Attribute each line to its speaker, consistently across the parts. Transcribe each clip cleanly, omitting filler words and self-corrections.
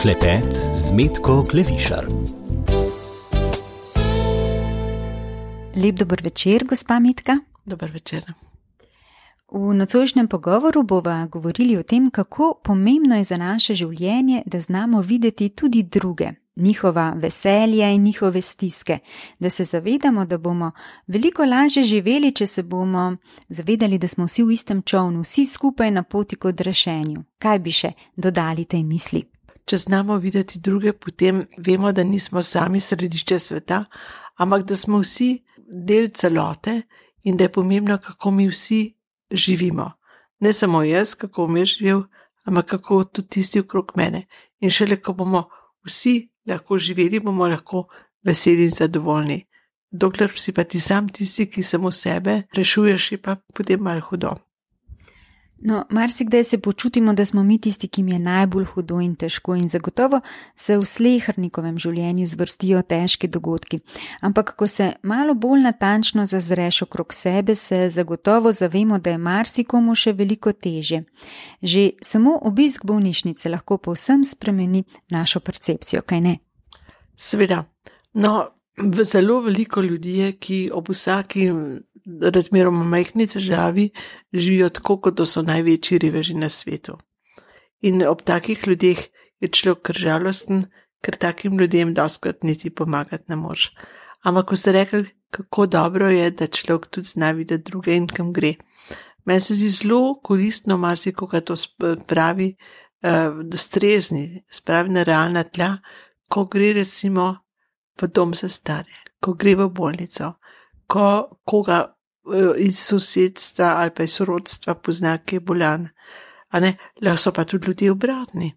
Speaker 1: Klepet z Metko Klevišar.
Speaker 2: Lep dober večer, gospa Metka.
Speaker 3: Dober večer.
Speaker 2: V nocojšnjem pogovoru bova govorili o tem, kako pomembno je za naše življenje, da znamo videti tudi druge, njihova veselja in njihove stiske, da se zavedamo, da bomo veliko lažje živeli, če se bomo zavedali, da smo vsi v istem čovnu, vsi skupaj na poti k odrešenju. Kaj bi še dodali tej misli?
Speaker 3: Če znamo videti druge, potem vemo, da nismo sami središče sveta, ampak da smo vsi del celote in da je pomembno, kako mi vsi živimo. Ne samo jaz, kako bom jaz živel, ampak kako tudi tisti okrog mene. In šele, ko bomo vsi lahko živeli, bomo lahko veseli in zadovoljni. Dokler si pa ti sam tisti, ki samo sebe rešuješ, je pa potem malo hudo.
Speaker 2: No, marsikdaj se počutimo, da smo mi tisti, ki jim je najbolj hudo in težko, in zagotovo se v slehernikovem življenju zvrstijo težki dogodki. Ampak, ko se malo bolj natančno zazreš okrog sebe, se zagotovo zavemo, da je marsikomu še veliko težje. Že samo obisk bolnišnice lahko povsem spremeni našo percepcijo, kaj ne?
Speaker 3: Seveda. No, zelo veliko ljudi je, ki ob vsaki razmeroma majhni težavi živijo tako, kot da so največji reveži na svetu. In ob takih ljudeh je človek kar žalosten, ker takim ljudem dostikrat niti pomagati ne moreš. Ampak ko ste rekli, kako dobro je, da človek tudi zna videti druge in kam gre. Meni se zdi zelo koristno marsikoga to spravi strezni, spravi na realna tla, ko gre recimo v dom za stare, ko gre v bolnico, ko koga iz sosedstva ali pa iz sorodstva pozna, ki je bolan. Lahko so pa tudi ljudje obratni.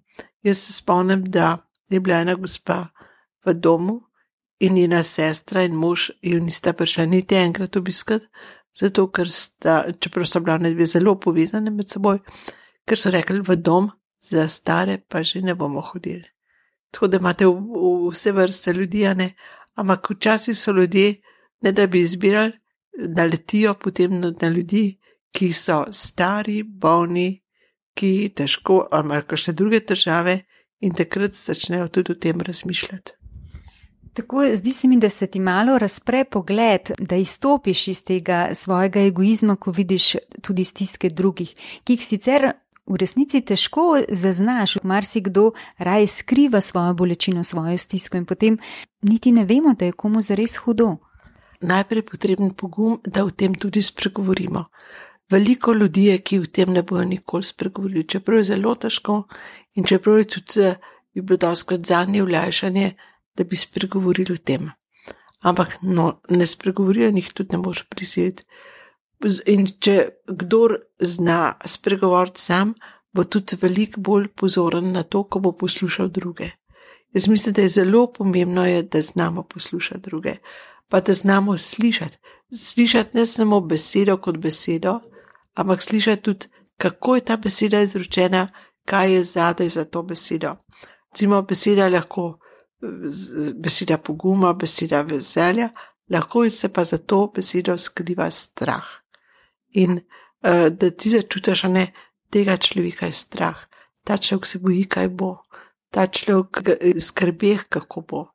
Speaker 3: Jaz se spomnim, da je bila ena gospa v domu in njena sestra in mož jo nista prišla niti enkrat obiskati, zato ker čeprav sta bila dve zelo povezane med seboj, ker so rekli, v dom za stare pa že ne bomo hodili. Tako da imate vse vrste ljudi, ampak včasih so ljudje, ne da bi izbirali, naletijo potem na ljudi, ki so stari, bolni, ki težko, ali imajo kakšne druge težave in takrat začnejo tudi o tem razmišljati.
Speaker 2: Tako, zdi se mi, da se ti malo razpre pogled, da izstopiš iz tega svojega egoizma, ko vidiš tudi stiske drugih, ki jih sicer v resnici težko zaznaš. Marsikdo raje skriva svojo bolečino, svojo stisko in potem niti ne vemo, da je komu zares hudo.
Speaker 3: Najprej potreben pogum, da o tem tudi spregovorimo. Veliko ljudi je, ki o tem ne bojo nikoli spregovorili, čeprav je zelo težko in čeprav je tudi bi bilo dostikrat zanje olajšanje, da bi spregovorili o tem. Ampak ne spregovorijo in jih tudi ne moreš prisiliti. In če kdor zna spregovoriti sam, bo tudi veliko bolj pozoren na to, ko bo poslušal druge. Jaz mislim, da je zelo pomembno, da znamo poslušati druge, pa da znamo slišati. Slišati ne samo besedo kot besedo, ampak slišati tudi, kako je ta beseda izrečena, kaj je zadaj za to besedo. Recimo, beseda je lahko beseda poguma, beseda veselja, lahko se pa za to besedo skriva strah. In da ti začutiš, tega človeka je strah. Ta človek se boji, kaj bo. Ta človek skrbi, kako bo.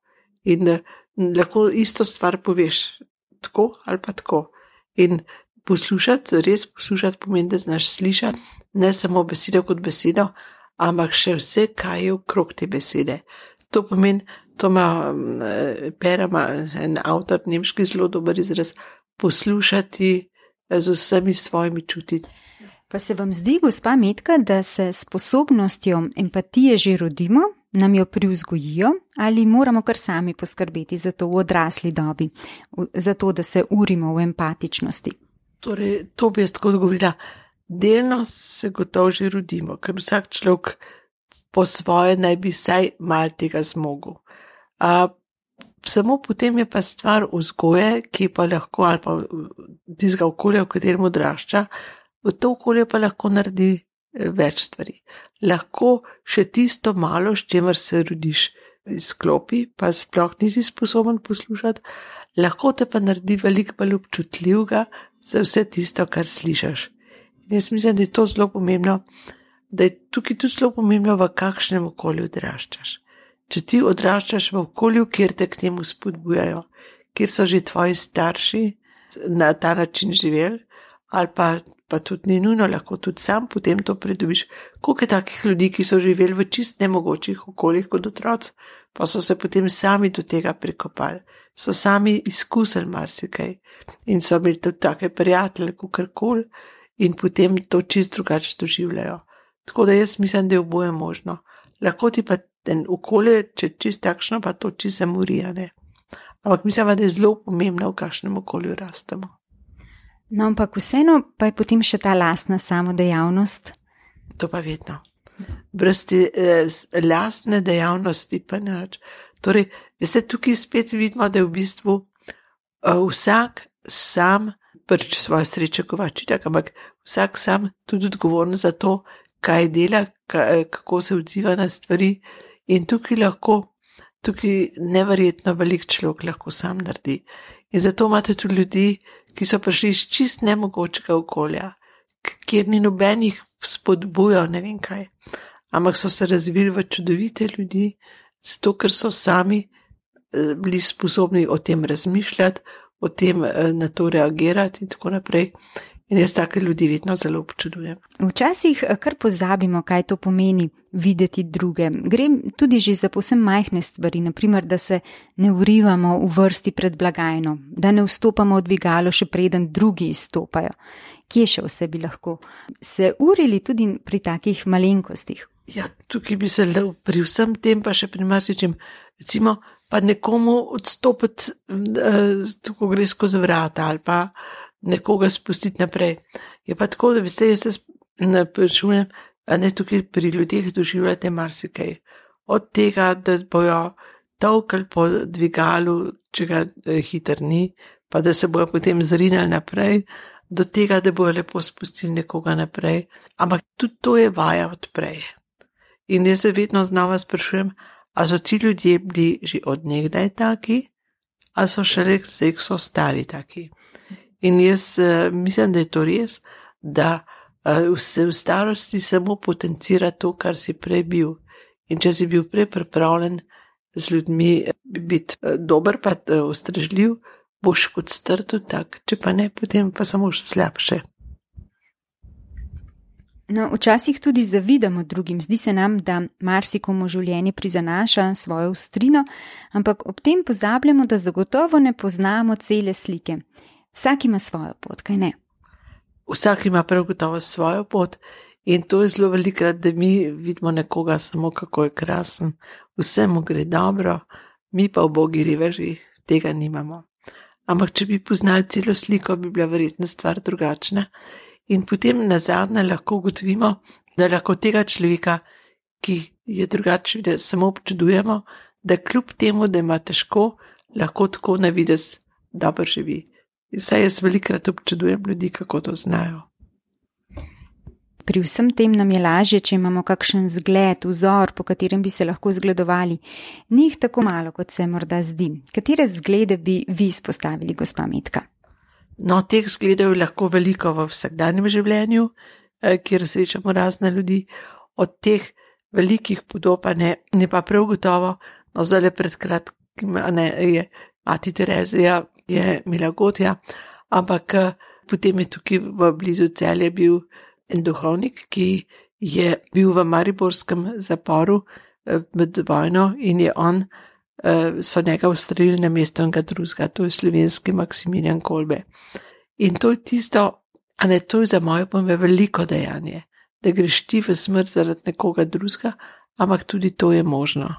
Speaker 3: In lahko isto stvar poveš tako ali pa tako. In poslušati, res poslušati pomeni, da znaš slišati ne samo besedo kot besedo, ampak še vse, kaj je okrog te besede. To pomeni, to ima Perama, en avtor nemški zelo dober izraz, poslušati z vsemi svojimi čuti.
Speaker 2: Pa se vam zdi, gospa Metka, da se sposobnostjo empatije že rodimo, nam jo privzgojijo ali moramo kar sami poskrbeti za to v odrasli dobi, za to, da se urimo v empatičnosti?
Speaker 3: Torej, to bi jaz tako odgovorila. Delno se gotovo že rodimo, ker vsak človek po svoje naj bi vsaj malo tega zmogel. Samo potem je pa stvar vzgoje, ki pa lahko, ali pa tistega okolja, v katerem odrašča, v to okolje pa lahko naredi več stvari. Lahko še tisto malo, s čemer se rodiš, izklopi, pa sploh nisi sposoben poslušati, lahko te pa naredi veliko bolj občutljivega za vse tisto, kar slišiš. In jaz mislim, da je to zelo pomembno, da je tukaj tudi zelo pomembno, v kakšnem okolju odraščaš. Če ti odraščaš v okolju, kjer te k temu spodbujajo, kjer so že tvoji starši na ta način živeli, ali pa tudi ni nujno, lahko tudi sam potem to pridobiš. Koliko je takih ljudi, ki so živeli v čist nemogočih okoljih kot otroci, pa so se potem sami do tega prikopali, so sami izkusili marsikaj in so imeli tudi take prijatelje, kakorkoli, in potem to čist drugače doživljajo. Tako da jaz mislim, da je oboje možno. Lahko ti pa ten okolje, če čist takšno, pa to čist zamorija, ne. Ampak mislim, da je zelo pomembno, v kakšnem okolju rastemo.
Speaker 2: No, ampak vseeno pa je potem še ta lastna samodejavnost.
Speaker 3: To pa vedno. Brez te lastne dejavnosti pa nič. Torej, veste, tukaj spet vidimo, da je v bistvu vsak sam, prvič svoje sreče kovači, ampak vsak sam tudi odgovoren za to, kaj dela, kako se odziva na stvari, in tukaj neverjetno velik človek lahko sam naredi. In zato imate tudi ljudi, ki so prišli iz čist nemogočega okolja, kjer ni nobenih spodbujal, ne vem kaj, ampak so se razvili v čudovite ljudi, zato ker so sami bili sposobni o tem razmišljati, o tem na to reagirati in tako naprej. In jaz take ljudi vedno zelo občudujem.
Speaker 2: Včasih kar pozabimo, kaj to pomeni videti druge. Gre tudi že za povsem majhne stvari, naprimer, da se ne urivamo v vrsti pred blagajno, da ne vstopamo v dvigalo, še preden drugi izstopajo. Kje še vse bi lahko se urili tudi pri takih malenkostih?
Speaker 3: Ja, tukaj bi se pri vsem tem pa še pri marsičem, recimo, pa nekomu odstopiti, ko gre skozi vrata ali pa nekoga spustiti naprej. Je pa tako, da veste, jaz se sprašujem, a ne tukaj pri ljudeh doživljate marsikaj. Od tega, da bojo tolkali po dvigalu, če ga hiter ni, pa da se bojo potem zrinali naprej, do tega, da bojo lepo spustili nekoga naprej. Ampak tudi to je vaja odprej. In jaz se vedno znova sprašujem, a so ti ljudje bili že od nekdaj taki, a so šele zdaj, ko so stari taki. In jaz mislim, da je to res, da se v starosti samo potencira to, kar si prej bil. In če si bil prej pripravljen z ljudmi biti dober, pa ustrežljiv, boš kot star tudi tak, če pa ne, potem pa samo še slabše.
Speaker 2: No, včasih tudi zavidamo drugim, zdi se nam, da marsikomu življenje prizanaša svojo ostrino, ampak ob tem pozabljamo, da zagotovo ne poznamo cele slike. Vsak ima svojo pot, kaj ne?
Speaker 3: Vsak ima prav gotovo svojo pot in to je zelo velikrat, da mi vidimo nekoga samo, kako je krasen, vse mu gre dobro, mi pa ubogi riveži tega nimamo. Ampak če bi poznali celo sliko, bi bila verjetno stvar drugačna. In potem nazadnje lahko ugotovimo, da lahko tega človeka, ki je drugačen, da samo občudujemo, da kljub temu, da ima težko, lahko tako na videz dobro živi. In saj jaz velikrat občudujem ljudi, kako to znajo.
Speaker 2: Pri vsem tem nam je lažje, če imamo kakšen zgled, vzor, po katerem bi se lahko zgledovali. Ni jih tako malo, kot se morda zdi. Katere zglede bi vi izpostavili, gospa Metka?
Speaker 3: No, teh zgledov je lahko veliko v vsakdanjem življenju, kjer srečamo razne ljudi. Od teh velikih podob ne pa prav gotovo, no zdaj pred kratkim je mati Terezija, je Milagotja, ampak potem je tukaj v blizu Celja bil en duhovnik, ki je bil v mariborskem zaporu med vojno in je so njega ustrelili na mesto enega drugega, to je slovenski Maksimilijan Kolbe. In to je tisto, to je za moje pojme veliko dejanje, da greš ti v smrt zaradi nekoga drugega, ampak tudi to je možno.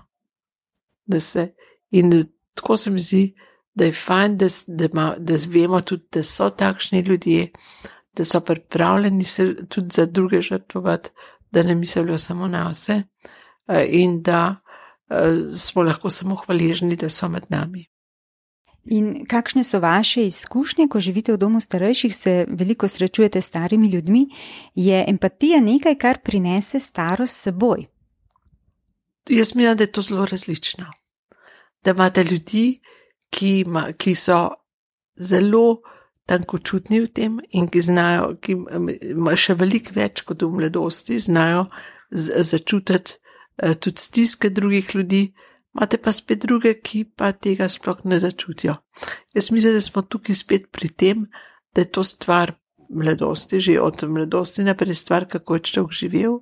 Speaker 3: In tako se mi zdi, da je fajn, da vemo tudi, da so takšni ljudje, da so pripravljeni se tudi za druge žrtvovati, da ne mislijo samo na vse in da smo lahko samo hvaležni, da so med nami.
Speaker 2: In kakšne so vaše izkušnje, ko živite v domu starejših, se veliko srečujete s starimi ljudmi? Je empatija nekaj, kar prinese starost s seboj?
Speaker 3: Jaz mislim, da je to zelo različno. Da imate ljudi, ki so zelo tankočutni v tem in ki znajo, ki še veliko več kot v mladosti, znajo začutiti tudi stiske drugih ljudi, imate pa spet druge, ki pa tega sploh ne začutijo. Jaz mislim, da smo tukaj spet pri tem, da je to stvar mladosti, že od mladosti naprej stvar, kako je človek živel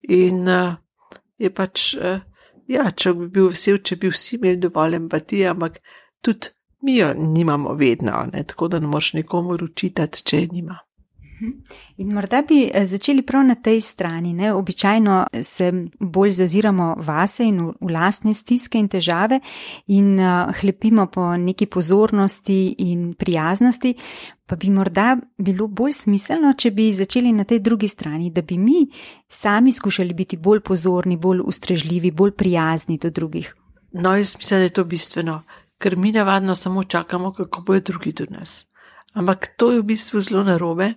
Speaker 3: in je pač, človek bi bil vesel, če bi vsi imeli dovolj empatije, ampak tudi mi jo nimamo vedno, ne? Tako da ne moreš nikomu učitati, če je nima.
Speaker 2: In morda bi začeli prav na tej strani, ne? Običajno se bolj zaziramo vase in v lastne stiske in težave in hlepimo po neki pozornosti in prijaznosti, pa bi morda bilo bolj smiselno, če bi začeli na tej drugi strani, da bi mi sami skušali biti bolj pozorni, bolj ustrežljivi, bolj prijazni do drugih.
Speaker 3: No, jaz mislim, da je to bistveno, ker mi navadno samo čakamo, kako bojo drugi do nas. Ampak to je v bistvu zelo narobe,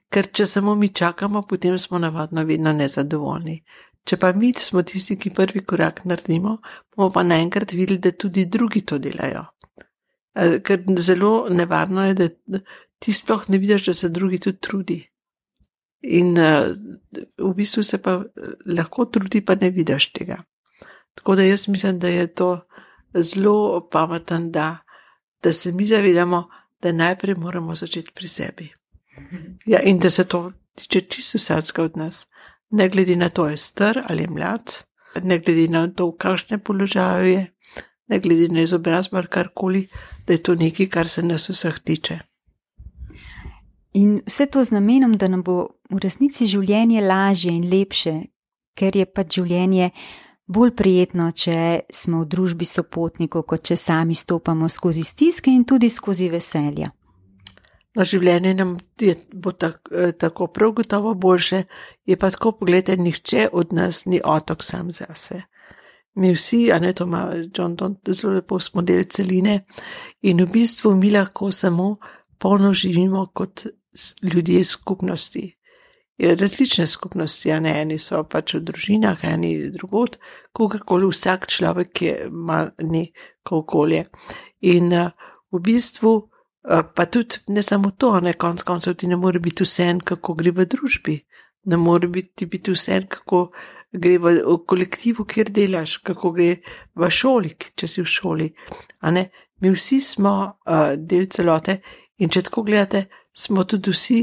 Speaker 3: ker če samo mi čakamo, potem smo navadno vedno nezadovoljni. Če pa mi smo tisti, ki prvi korak naredimo, bomo pa naenkrat videli, da tudi drugi to delajo. Ker zelo nevarno je, da ti sploh ne vidiš, da se drugi tudi trudi. In v bistvu se pa lahko trudi, pa ne vidiš tega. Tako da jaz mislim, da je to zelo pameten, da se mi zavedamo, da najprej moramo začeti pri sebi. Ja, in da se to tiče čisto vsakega od nas. Ne glede na to, je star ali je mlad, ne glede na to, v kakšnem položaju je, ne glede na izobrazbo ali karkoli, da je to nekaj, kar se nas vseh tiče.
Speaker 2: In vse to z namenom, da nam bo v resnici življenje lažje in lepše, ker je pač življenje bolj prijetno, če smo v družbi sopotnikov, kot če sami stopamo skozi stiske in tudi skozi veselja.
Speaker 3: No, življenje nam bo tako prav gotovo boljše, je pa tako, pogledajte, nihče od nas ni otok sam zase. Mi vsi, to ima John Donne zelo lepo, smo del celine in v bistvu mi lahko samo polno živimo kot ljudje skupnosti. Različne skupnosti, eni so pač v družinah, eni drugod, kogarkoli, vsak človek ima neko okolje. In v bistvu pa tudi ne samo to, konec koncev ti ne more biti vseeno, kako gre v družbi, ne more biti vseeno, kako gre v kolektivu, kjer delaš, kako gre v šoli, če si v šoli. Mi vsi smo del celote in če tako gledate, smo tudi vsi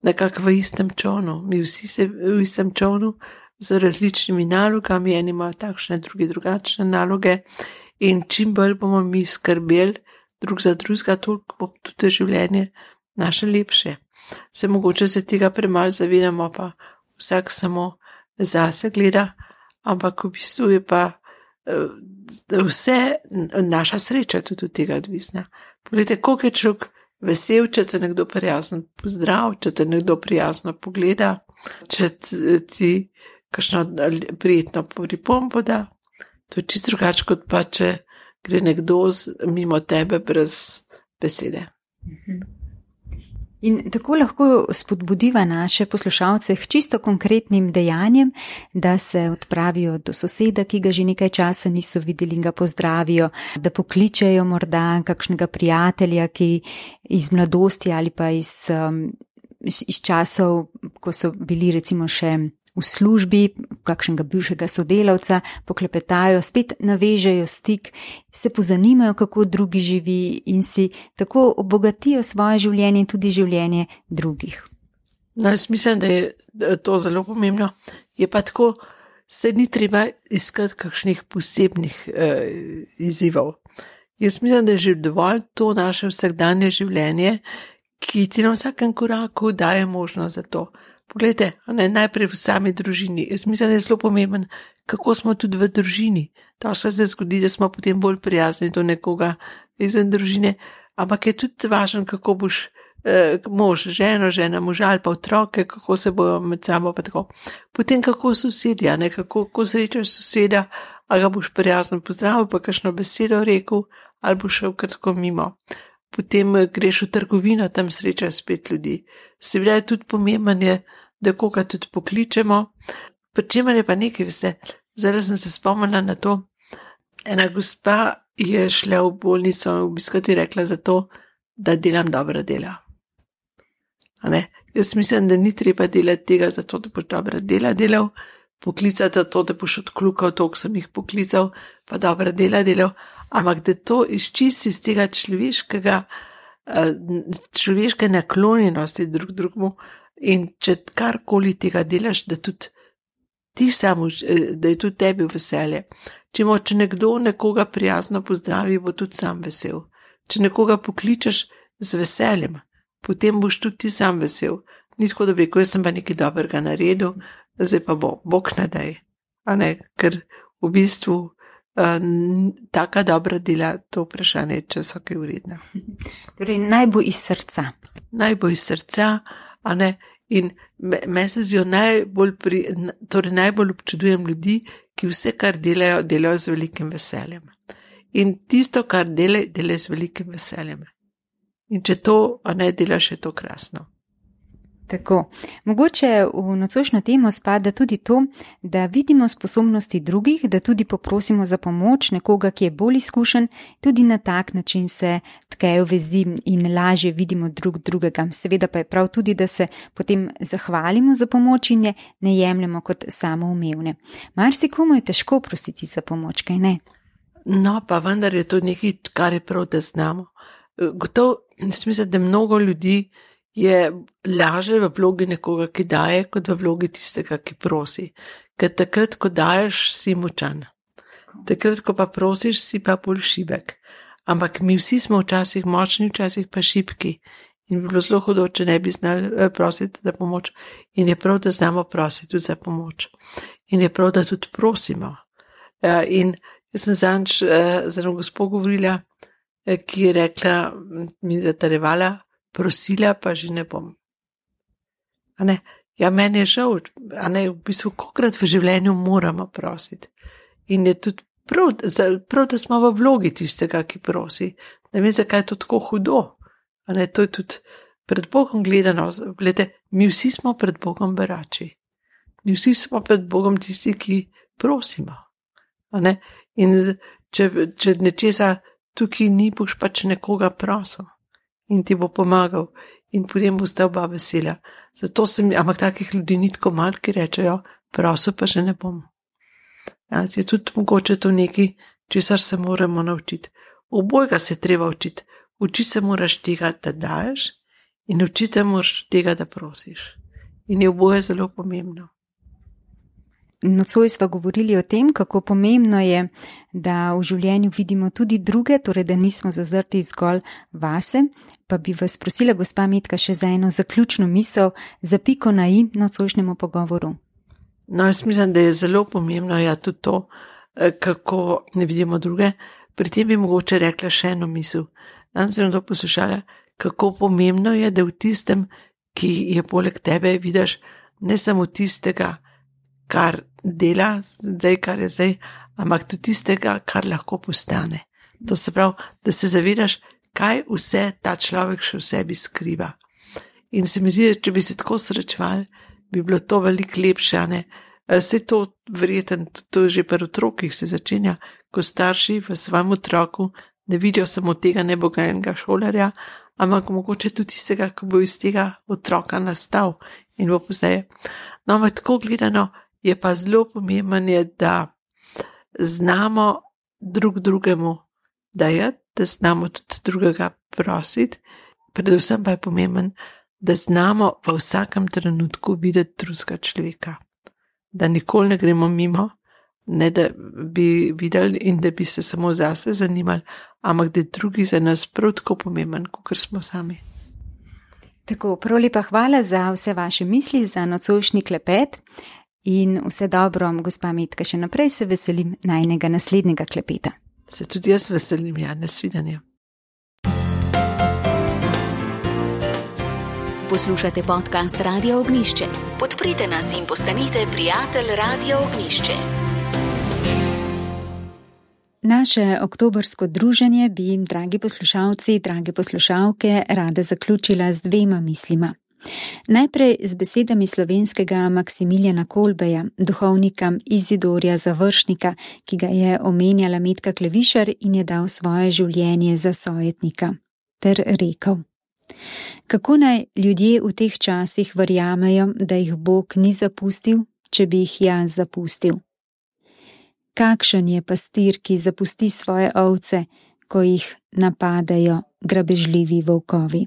Speaker 3: nekako v istem čovnu. Mi vsi se v istem čovnu z različnimi nalogami, eni imajo takšne, drugi drugačne naloge in čim bolj bomo mi skrbeli drug za drugega, toliko bo tudi življenje naše lepše. Se mogoče se tega premalo zavedamo, pa vsak samo zase gleda, ampak v bistvu je pa vse naša sreča tudi od tega odvisna. Poglejte, koliko je človek vesel, če te nekdo prijazno pozdrav, če te nekdo prijazno pogleda, če ti kakšno prijetno pripombo da. To je čisto drugače, kot pa če gre nekdo mimo tebe brez besede.
Speaker 2: In tako lahko spodbudiva naše poslušalce k čisto konkretnim dejanjem, da se odpravijo do soseda, ki ga že nekaj časa niso videli in ga pozdravijo, da pokličejo morda kakšnega prijatelja, ki iz mladosti ali pa iz časov, ko so bili recimo še v službi, kakšnega bivšega sodelavca, poklepetajo, spet navežejo stik, se pozanimajo, kako drugi živi in si tako obogatijo svoje življenje in tudi življenje drugih.
Speaker 3: No, jaz mislim, da je to zelo pomembno. Je pa tako, se ni treba iskati kakšnih posebnih izzivov. Jaz mislim, da je že dovolj to naše vsakdanje življenje, ki ti na vsakem koraku daje možnost za to. Poglejte, najprej v sami družini. Jaz mislim, da je zelo pomemben, kako smo tudi v družini. To se zgodi, da smo potem bolj prijazni do nekoga izven družine, ampak je tudi važno, kako boš mož, žena, moža ali pa otroke, kako se bojo med sabo pa tako. Potem kako sosedja, kako srečaš soseda, ali ga boš prijazno pozdravil, pa kakšno besedo rekel, ali boš šel kratko mimo. Potem greš v trgovino, tam srečaš spet ljudi. Seveda je tudi pomemben, da koga tudi pokličemo. Pri čemer je pa nekaj, veste, zdaj sem se spomnila na to. Ena gospa je šla v bolnico obiskati, rekla zato, da delam dobra dela. Jaz mislim, da ni treba delati tega zato, da boš dobra dela delal, poklicati to, da boš odkljukal to, ko sem jih poklical, pa dobra dela delal, ampak da to izčisti iz tega človeške naklonjenosti drug drugemu in če karkoli tega delaš, da tudi ti samo, da je tudi tebi veselje. Če nekdo nekoga prijazno pozdravi, bo tudi sam vesel. Če nekoga pokličeš z veseljem, potem boš tudi ti sam vesel. Ni tako, da bi rekel, jaz sem pa nekaj dobrega naredil, zdaj pa Bog ne daj. Ker v bistvu taka dobra dela, to vprašanje, če so kaj vredne.
Speaker 2: Torej, naj bo iz srca.
Speaker 3: Naj bo iz srca, in me se zdijo najbolj občudujem ljudi, ki vse, kar delajo, delajo z velikim veseljem. In tisto, kar delajo z velikim veseljem. In če to delaš, je to krasno.
Speaker 2: Tako. Mogoče v nocojšnjo temo spada tudi to, da vidimo sposobnosti drugih, da tudi poprosimo za pomoč nekoga, ki je bolj izkušen, tudi na tak način se tkejo vezi in lažje vidimo drug drugega. Seveda pa je prav tudi, da se potem zahvalimo za pomoč in je ne jemljemo kot samoumevne. Marsikomu je težko prositi za pomoč, kaj ne?
Speaker 3: No, pa vendar je to nekaj, kar je prav, da znamo. Gotovo, mislim, da mnogo ljudi je laže v vlogi nekoga, ki daje, kot v vlogi tistega, ki prosi. Ker takrat, ko daješ, si močan. Takrat, ko pa prosiš, si pa bolj šibek. Ampak mi vsi smo včasih močni, včasih pa šibki. In bi bilo zelo hudo, če ne bi znali prositi za pomoč. In je prav, da znamo prositi tudi za pomoč. In je prav, da tudi prosimo. In jaz sem zadnjič z eno gospo govorila, ki je rekla, mi zatarjevala, prosila pa že ne bom. Ja, meni je žal, v bistvu, kolikrat v življenju moramo prositi. In je tudi prav, da smo v vlogi tistega, ki prosi. Ne vem, zakaj je to tako hudo. To je tudi pred Bogom gledano. Glede, mi vsi smo pred Bogom berači. Mi vsi smo pred Bogom tisti, ki prosimo. In če nečesa tukaj ni, boš pač nekoga prosil. In ti bo pomagal. In potem bo sta oba vesela. Zato ampak takih ljudi ni tako malo, ki rečejo, prosil pa že ne bom. Je tudi mogoče to nekaj, česar se moramo naučiti. Obojega se treba učiti. Učiti se moraš tega, da daješ, in učiti se moraš tega, da prosiš. In je oboje zelo pomembno.
Speaker 2: Nocoj sva govorili o tem, kako pomembno je, da v življenju vidimo tudi druge, torej da nismo zazrti zgolj vase, pa bi vas prosila, gospa Metka, še za eno zaključno misel, za piko na i nocojšnjemu pogovoru.
Speaker 3: No, jaz mislim, da je zelo pomembno, tudi to, kako ne vidimo druge. Pri tem bi mogoče rekla še eno misel. Danes sem to poslušala, kako pomembno je, da v tistem, ki je poleg tebe, vidiš ne samo tistega, kar dela, zdaj, kar je zdaj, ampak tudi tistega, kar lahko postane. To se pravi, da se zavedaš, kaj vse ta človek še v sebi skriva. In se mi zdi, če bi se tako srečevali, bi bilo to veliko lepše, Vse to verjetno, to že pri otrokih se začenja, ko starši v svojem otroku ne vidijo samo tega nebogajenega šolarja, ampak mogoče tudi tistega, ko bo iz tega otroka nastal in bo pozneje. No, ampak tako gledano je pa zelo pomembno, da znamo drug drugemu dajati, da znamo tudi drugega prositi, predvsem pa je pomembno, da znamo v vsakem trenutku videti drugega človeka. Da nikoli ne gremo mimo, ne da bi videli in da bi se samo zase zanimali, ampak da je drugi za nas prav tako pomemben, kot smo sami.
Speaker 2: Tako, prav lepa hvala za vse vaše misli, za nocojšnji klepet in vse dobro, gospa Metka, še naprej se veselim najinega naslednjega klepeta.
Speaker 3: Se tudi jaz veselim, nasvidenje.
Speaker 1: Poslušate podcast Radia Ognjišče. Podprite nas in postanite prijatelj Radia Ognjišče.
Speaker 2: Naše oktobrsko druženje bi, dragi poslušalci, drage poslušalke, rada zaključila z dvema mislima. Najprej z besedami slovenskega Maksimiljana Kolbeja, duhovnika Izidorja Završnika, ki ga je omenjala Metka Klevišar in je dal svoje življenje za sojetnika, ter rekel: Kako naj ljudje v teh časih verjamejo, da jih Bog ni zapustil, če bi jih jaz zapustil? Kakšen je pastir, ki zapusti svoje ovce, ko jih napadajo grabežljivi volkovi?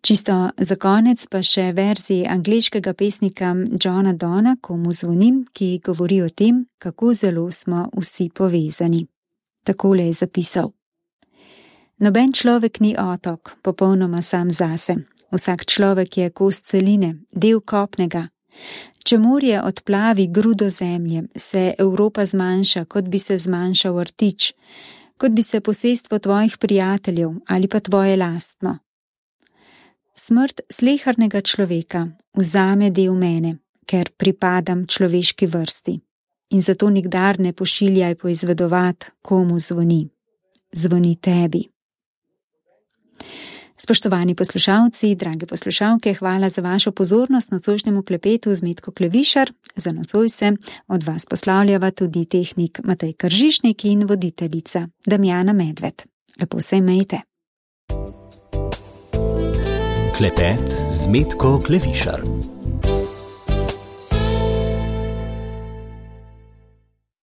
Speaker 2: Čisto za konec pa še verziji angleškega pesnika Johna Donna, Komu zvonim, ki govori o tem, kako zelo smo vsi povezani. Takole je zapisal: Noben človek ni otok, popolnoma sam zase. Vsak človek je kos celine, del kopnega. Če morje odplavi grudo zemlje, se Evropa zmanjša, kot bi se zmanjšal rtič, kot bi se posestvo tvojih prijateljev ali pa tvoje lastno. Smrt slehernega človeka vzame del mene, ker pripadam človeški vrsti. In zato nikdar ne pošiljaj poizvedovat, komu zvoni. Zvoni tebi. Spoštovani poslušalci, drage poslušalke, hvala za vašo pozornost nocojšnjemu klepetu z Metko Klevišar. Za nocoj se od vas poslavljava tudi tehnik Matej Kržišnik in voditeljica Damjana Medved. Lepo se imejte.
Speaker 4: Klepet z Metko Klevišar.